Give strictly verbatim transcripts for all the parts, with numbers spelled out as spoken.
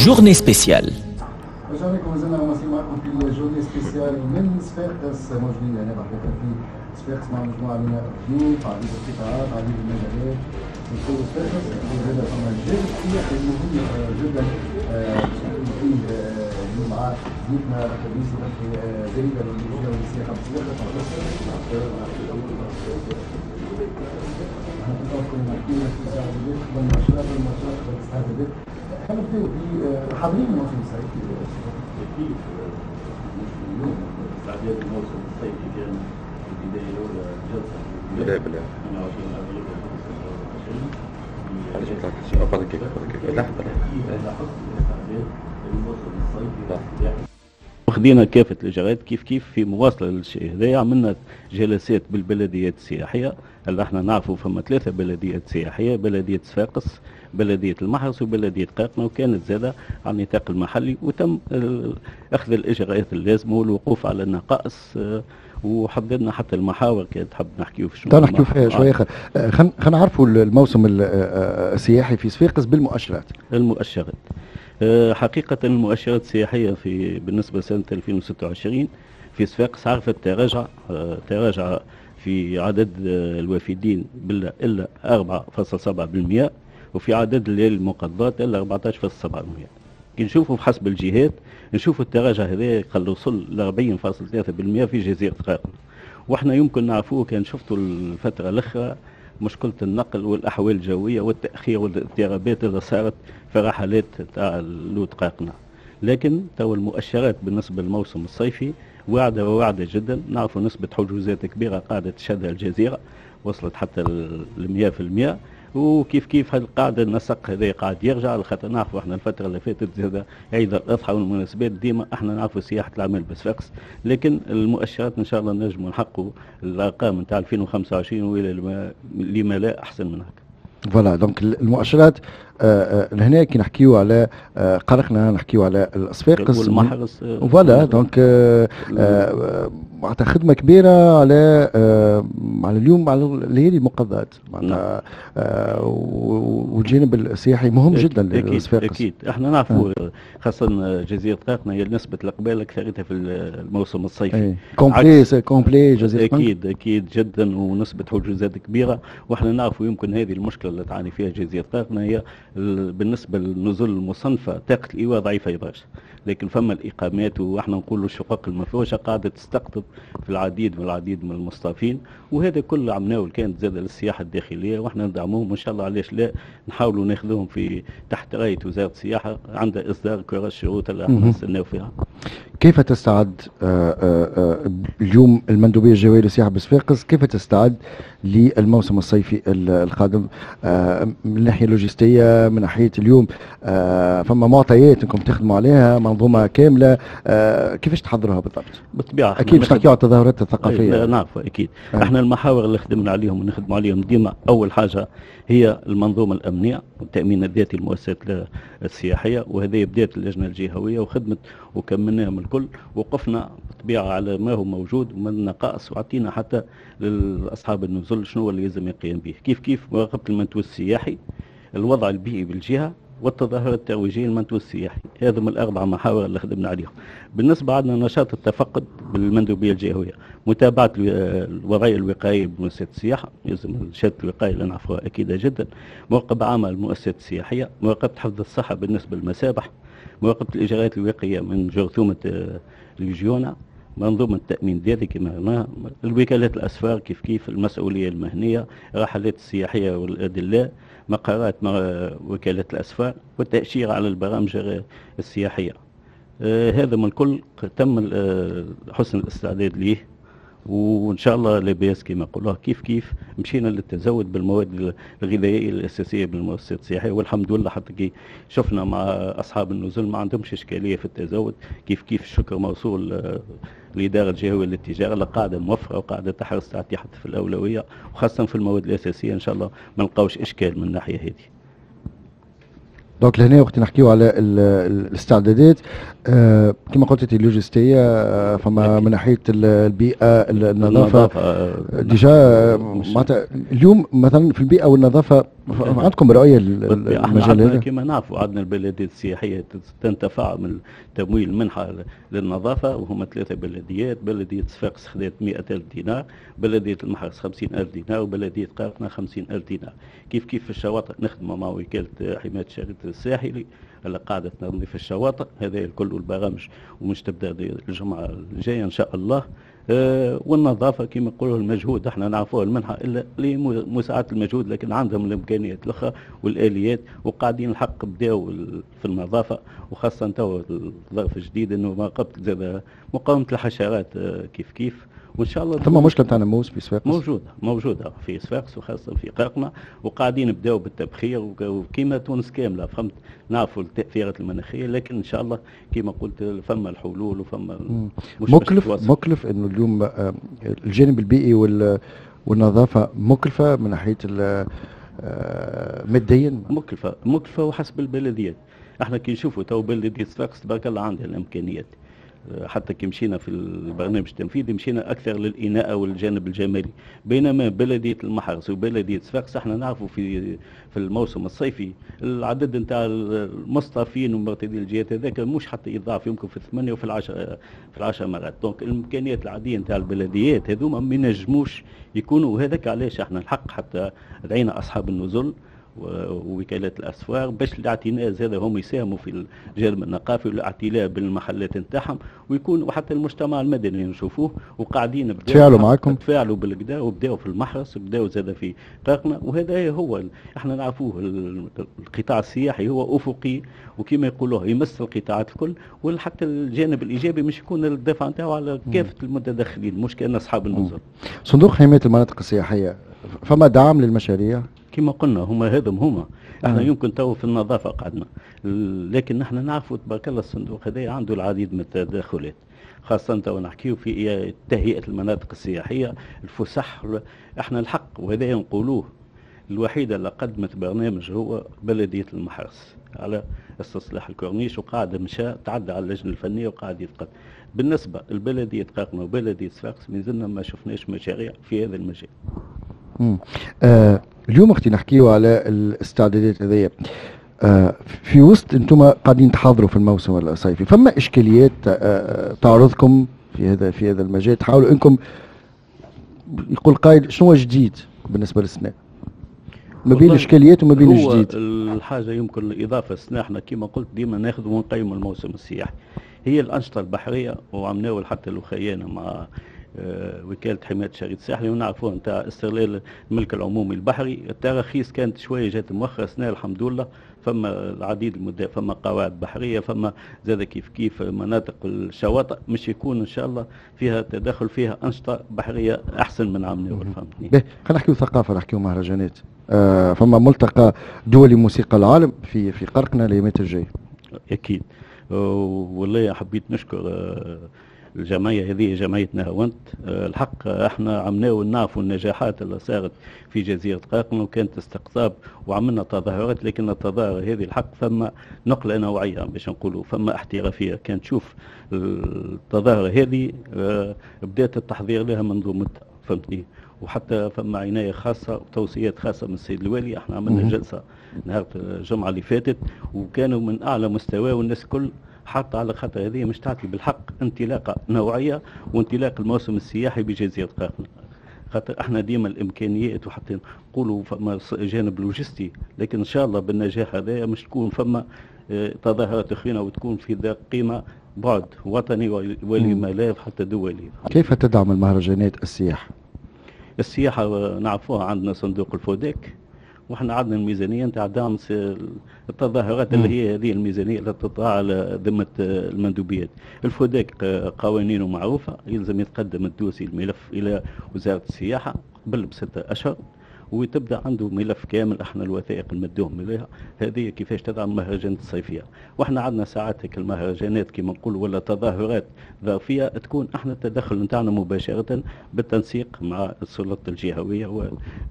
journée spéciale. رجعنا لكم، مازلنا مواصلين معكم في ال journée spéciale من صفاقس. موجودين هنا بحقيقة في صفاقس مع مجموعة من الضيوف، عديد القطاعات، عديد المجالات. نقول صفاقس هذا فما جانب سياحي مهم جدا باش نحكي فيه اليوم مع ضيفنا يوسف زريبه من السياحة بصفاقس. احنا كنا نحكي في الاستعدادات قبل الماتشات، الماتشات قبل الاستعدادات. خلينا نبداو بحاضرين الموسم الصيفي. اكيد مش اليوم استعداد الموسم الصيفي كان في البداية الاولى جلسه بالله بالله ثمانية وعشرين ابريل ألفين وخمسة وعشرين. علاش ما طلعتش؟ بعد كيف بعد كيف لا. اكيد هذا حسن الاستعداد للموسم الصيفي والسياحي. وخذينا كافة الإجراءات كيف كيف في مواصلة للشيء هذا. عملنا جلسات بالبلديات السياحية اللي احنا نعرفوا فما ثلاثة بلديات سياحية: بلدية صفاقس، بلدية المحرس، وبلدية قرقنة، وكانت زادة على النطاق المحلي، وتم أخذ الإجراءات اللازمة والوقوف على النقائص آه، وحددنا حتى المحاور. كان تحب نحكيو في شنو نحكيو فيها شوية. خلينا نعرفوا الموسم السياحي في صفاقس بالمؤشرات. المؤشرات آه، حقيقة المؤشرات السياحية في بالنسبة لسنة ألفين وستة وعشرين في صفاقس عرفت تراجع آه، تراجع في عدد آه، الوافدين إلا أربعة فاصل سبعة بالمئة، وفي عدد الليالي المقضات إلا أربعة عشر فاصل سبعة بالمئة. كي نشوفوا بحسب الجهات نشوفوا التراجع هذا قد وصل ل أربعين فاصل ثلاثة بالمئة في جزيرة قرقنة. واحنا يمكن نعرفوه، كان شفتوا الفترة الأخرى مشكلة النقل والأحوال الجوية والتأخير والاضطرابات اللي صارت في رحلات تاع اللوت قرقنة. لكن تو المؤشرات بالنسبة للموسم الصيفي واعدة وواعدة جدا. نعرفوا نسبة حجوزات كبيرة قاعدة تشهدها الجزيرة، وصلت حتى ل مية في المية، وكيف كيف هذه القاعدة النسق هذا قاعد يرجع، خاطر نعرفوا احنا الفترة اللي فاتت زاد عيد الاضحى والمناسبات، ديما احنا نعرفوا سياحة الاعمال بصفاقس. لكن المؤشرات ان شاء الله نجموا نحققوا الارقام نتاع ألفين وخمسة وعشرين والى لما لا احسن من هكا. voilà، donc المؤشرات آه، آه، لهنا كي نحكيو على آه، قرقنا، نحكيو على الصفاقس والمحرس. voilà، donc معناتها خدمة كبيرة على على اليوم على الليالي المقضات معناتها نعم. والجانب السياحي مهم جدا. للصفاقس اكيد، احنا نعرفوا خاصة جزيرة قرقنا هي نسبه الاقبال اكثرتها في الموسم الصيفي. complet complet جزيرة. اكيد اكيد جدا، ونسبه حجوزات كبيره. واحنا نعرفوا يمكن هذه المشكلة اللي تعاني فيها جزيرة قرقنا هي بالنسبة للنزل المصنفه طاقة الايواء ضعيفة برشا، لكن فما الاقامات واحنا نقولوا الشقق المفروشه قاعدة تستقطب في العديد والعديد من المصطافين. وهذا كل عمناه كانت زاد للسياحة الداخليه، واحنا ندعموهم وان شاء الله علاش لا نحاولوا ناخذوهم في تحت رايه وزارة السياحة عند اصدار كراس الشروط اللي احنا نستناو فيها. كيف تستعد آه، آه، آه، اليوم المندوبيه الجهوية للسياحة بصفاقس؟ كيف تستعد للموسم الصيفي القادم من الناحية اللوجستيه، من ناحية اليوم فما معطيات انكم تخدموا عليها، منظومة كاملة، كيفاش تحضروها بالضبط؟ بالطبيعه. اكيد باش نحكيو على التظاهرات الثقافيه. نعرف اكيد آه. احنا المحاور اللي خدمنا عليهم ونخدموا عليهم ديما، اول حاجة هي المنظومة الامنية والتامين الذاتي للمؤسسات السياحيه، وهذه بدات اللجنة الجهوية وخدمت وكملناهم الكل. وقفنا بالطبيعة على ما هو موجود ومن النقائص، وعطينا حتى لاصحاب النزل شنو اللي لازم يقيم به. كيف كيف مراقبة المنتوج السياحي، الوضع البيئي بالجهه، والتظاهرة الترويجية للمنتوج السياحي. هذا من الأربع محاور اللي خدمنا عليهم. بالنسبة عندنا نشاط التفقد بالمندوبية الجهوية، متابعة الوضعية الوقائية بمؤسسات السياحة، يلزم الشهادة الوقائية اللي نعرفوها أكيدة جدا، مراقبة عامة للمؤسسات السياحية، مراقبة حفظ الصحة بالنسبة للمسابح، مراقبة الإجراءات الوقائية من جرثومة آه، الليجيونا، منظومة التأمين الذاتي كما قلنا، الوكالات الأسفار كيف كيف، المسؤولية المهنية، رحلات السياحية والأدلاء، مقرات وكالات الأسفار، والتأشيرة على البرامج السياحية. آه هذا من الكل تم آه، حسن الاستعداد ليه، وان شاء الله لاباس كما يقولوها. كيف كيف مشينا للتزود بالمواد الغذائية الاساسية بالمؤسسات السياحيه، والحمد لله حتى كي شفنا مع اصحاب النزل ما عندهمش اشكالية في التزود. كيف كيف الشكر موصول آه، الادارة الجهوية للتجارة اللي قاعدة موفره وقاعدة تحرص تعطي حتى في الاولويه، وخاصة في المواد الاساسيه. ان شاء الله ما نلقاوش اشكال من الناحية هذه. donc لهنا وقت نحكيو على الاستعدادات آه كما قلت انت اللوجستيه، آه فما من ناحية البيئه، النظافه، النظافة déjà معناتها اليوم مثلا في البيئة والنظافه. عندكم رؤية للمجال هذا؟ كما نعرفوا عندنا البلديات السياحية تنتفع من تمويل منحه للنظافه، وهما ثلاثة بلديات، بلديه صفاقس خذت مئة ألف دينار، بلديه المحرس خمسين ألف دينار، وبلديه قرقنة خمسين ألف دينار. كيف كيف في الشواطئ نخدموا مع وكالة حماية الشريط الساحلي اللي قاعدة تنظيف الشواطئ، هذا الكل البرامج ومش تبدا الجمعة الجاية ان شاء الله. أه والنظافة كما يقولوا المجهود احنا نعرفوه المنحة الا لمساعده المجهود، لكن عندهم الامكانيات الاخرى والاليات وقاعدين الحق بداوا في النظافة، وخاصة تو الظرف الجديد انه ما قبل زاد مقاومة الحشرات كيف كيف، وان شاء الله. ثم مشكلة تاع ناموس في صفاقس؟ موجودة موجودة في صفاقس وخاصة في قرقنة، وقاعدين نبداو بالتبخير وكيما تونس كاملة، فهمت، نعرفوا التاثيرات المناخية، لكن ان شاء الله كيما قلت فما الحلول وفما مكلف مكلف انه اليوم الجانب البيئي والنظافة مكلفة من ناحية ماديا، مكلفة مكلفة وحسب البلديات. احنا كي نشوفوا تو بلديه صفاقس تبارك الله عندها الامكانيات، حتى كي مشينا في البرنامج التنفيذي مشينا اكثر للاناءه والجانب الجمالي، بينما بلديه المحرس وبلديه صفاقس احنا نعرفوا في في الموسم الصيفي العدد نتاع المصطافين ومرتدي الجهات هذاك مش حتى يضاعف، يمكن في الثمانية وفي العشر في العشر مرات. donc الامكانيات العادية نتاع البلديات هذوما ما ينجموش يكونوا، وهذاك علاش احنا الحق حتى دعينا اصحاب النزل ووكالات الاسفار باش الاعتناء زاد هم يساهموا في الجانب النقافي والاعتلاء بالمحلات نتاعهم، ويكون وحتى المجتمع المدني نشوفوه وقاعدين تفاعلوا معاكم، تفاعلوا بالكدا وبداوا في المحرس وبداوا زاد في قرقنة. وهذا هو احنا نعرفوه القطاع السياحي هو افقي، وكما يقولوه يمس القطاعات الكل، وحتى الجانب الايجابي مش يكون الدفع نتاعو على كافة المتدخلين، مش كان اصحاب النزل. صندوق حماية المناطق السياحية فما دعم للمشاريع؟ كما قلنا هما هذم هما احنا آه. يمكن تو في النظافة قعدنا، لكن نحن نعرفوا تبارك الله الصندوق هذا عنده العديد من التدخلات، خاصة تو نحكيو في تهيئة المناطق السياحية، الفسح. احنا الحق وهذا نقولوه الوحيدة اللي قدمت برنامج هو بلديه المحرس على استصلاح الكورنيش، وقاعد مشى تعدى على اللجنة الفنية وقاعد يتقدم. بالنسبة لبلديه قرقنة وبلديه صفاقس مازلنا ما شفناش مشاريع في هذا المجال. امم آه اليوم اختي نحكيو على الاستعدادات هذيا، آه في وسط انتم قاعدين تحاضروا في الموسم الصيفي، فما اشكاليات آه تعرضكم في هذا في هذا المجال، تحاولوا انكم يقول قائل شنو جديد بالنسبة للسنة؟ ما بين الاشكاليات وما بين الجديد. الحاجة يمكن الاضافة السنة احنا كما قلت ديما ناخذ ونقيم الموسم السياحي، هي الانشطة البحرية، وعمناول حتى الوخيانه مع وكالة حماية الشريط الساحلي ونعرفوها نتاع استغلال الملك العمومي البحري. التراخيص كانت شوية جات مؤخرة، سنة الحمد لله فما العديد المدة، فما قواعد بحرية، فما زاد كيف كيف مناطق الشواطئ مش يكون ان شاء الله فيها تدخل فيها انشطة بحرية احسن من عام ناول. فهمتني؟ باهي خلينا نحكيو ثقافة، نحكيو مهرجانات. آه فما ملتقى دولي موسيقى العالم في في قرقنة الايامات الجاية. اكيد والله حبيت نشكر آه الجمعية هذه جمعية نهاونت. الحق احنا عملناو نعرفوا النجاحات اللي صارت في جزيرة قرقنة، وكانت استقطاب وعملنا تظاهرات، لكن التظاهر هذه الحق فما نقلة نوعية باش نقولوا، فما احترافية. كان تشوف التظاهرة هذه بدات التحضير لها منذ مدة، فهمتني، وحتى فما عناية خاصة وتوصيات خاصة من السيد الوالي. احنا عملنا جلسة نهار الجمعة اللي فاتت وكانوا من أعلى مستوى، والناس كل حتى على خاطر هذه مش تعطي بالحق انطلاقة نوعية وانطلاق الموسم السياحي بجزيره قرقنة، خاطر احنا ديما الامكانيات وحتى نقولوا فما جانب لوجستي، لكن ان شاء الله بالنجاح هذا مش تكون فما تظاهرات اخرى وتكون في ذا قيمة بعد وطني ولما لا حتى دولي. كيف تدعم المهرجانات السياحة؟ السياحة نعرفوها عندنا صندوق الفوديك، واحنا عندنا الميزانية نتاع دعم التظاهرات اللي هي هذه الميزانية اللي تطلع على ذمه المندوبيات. الفوداك قوانينه معروفة، يلزم يتقدم ال dossier الملف الى وزارة السياحة قبل بستة اشهر، وتبدا عنده ملف كامل. احنا الوثائق نمدوهم اليها هذه كيفاش تدعم المهرجانات الصيفية، واحنا عندنا ساعات هيك المهرجانات كما نقول ولا تظاهرات ظرفيه تكون احنا التدخل نتاعنا مباشرة بالتنسيق مع السلطات الجهوية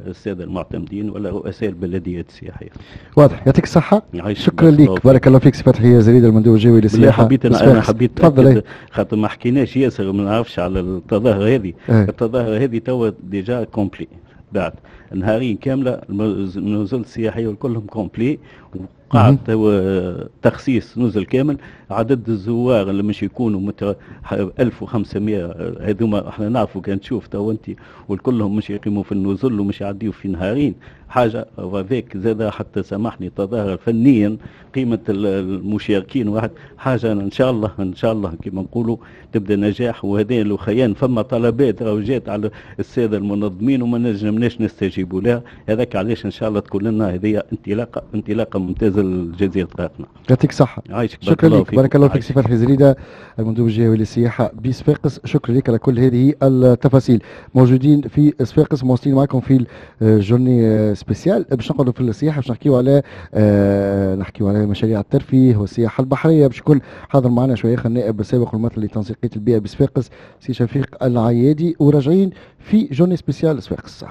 والسادة المعتمدين ولا رؤساء البلديات السياحية. واضح، يعطيك الصحة، شكرا لك، بارك الله فيك سي فتحي زريده المندوب الجوي للسياحة. حبيت انا, أنا حبيت تفضل، خاطر ما حكيناش ياسر وما نعرفش على التظاهرة هذه. أه. التظاهرة هذه توا déjà complet بعد، نهارين كاملة النزل السياحية كلهم complet، وقع تخصيص نزل كامل. عدد الزوار اللي مش يكونوا مت ألف وخمسمية، هذوما احنا نعرفوا كان تشوف تو انت والكلهم مش يقيموا في النزل ومش يعديوا في نهارين حاجة. وهذاك زاد حتى سامحني تظاهر فنيا قيمة المشاركين واحد حاجه. ان شاء الله ان شاء الله كما نقولوا تبدا نجاح. وهذا الخيان فما طلبات راهو جات على السادة المنظمين وما نجمناش نستجيبوا لها، هذاك علاش ان شاء الله تكون لنا هذه انطلاقة انطلاقة ممتازة لجزيرة قرقنة. يعطيك الصحة. عايشك. شكرا لك، بارك الله فيك سي فتحي زريده المندوب الجهوي للسياحة بصفاقس، شكرا لك على كل هذه التفاصيل. موجودين في صفاقس، مواصلين معكم في journée spéciale باش نقعدوا في السياحه، باش نحكيو على آه نحكيو على مشاريع الترفيه والسياحة البحريه. باش يكون حاضر معنا شوية النائب السابق والممثل لتنسيقيه البيئة بصفاقس سي شفيق العيادي، وراجعين في journée spéciale صفاقس.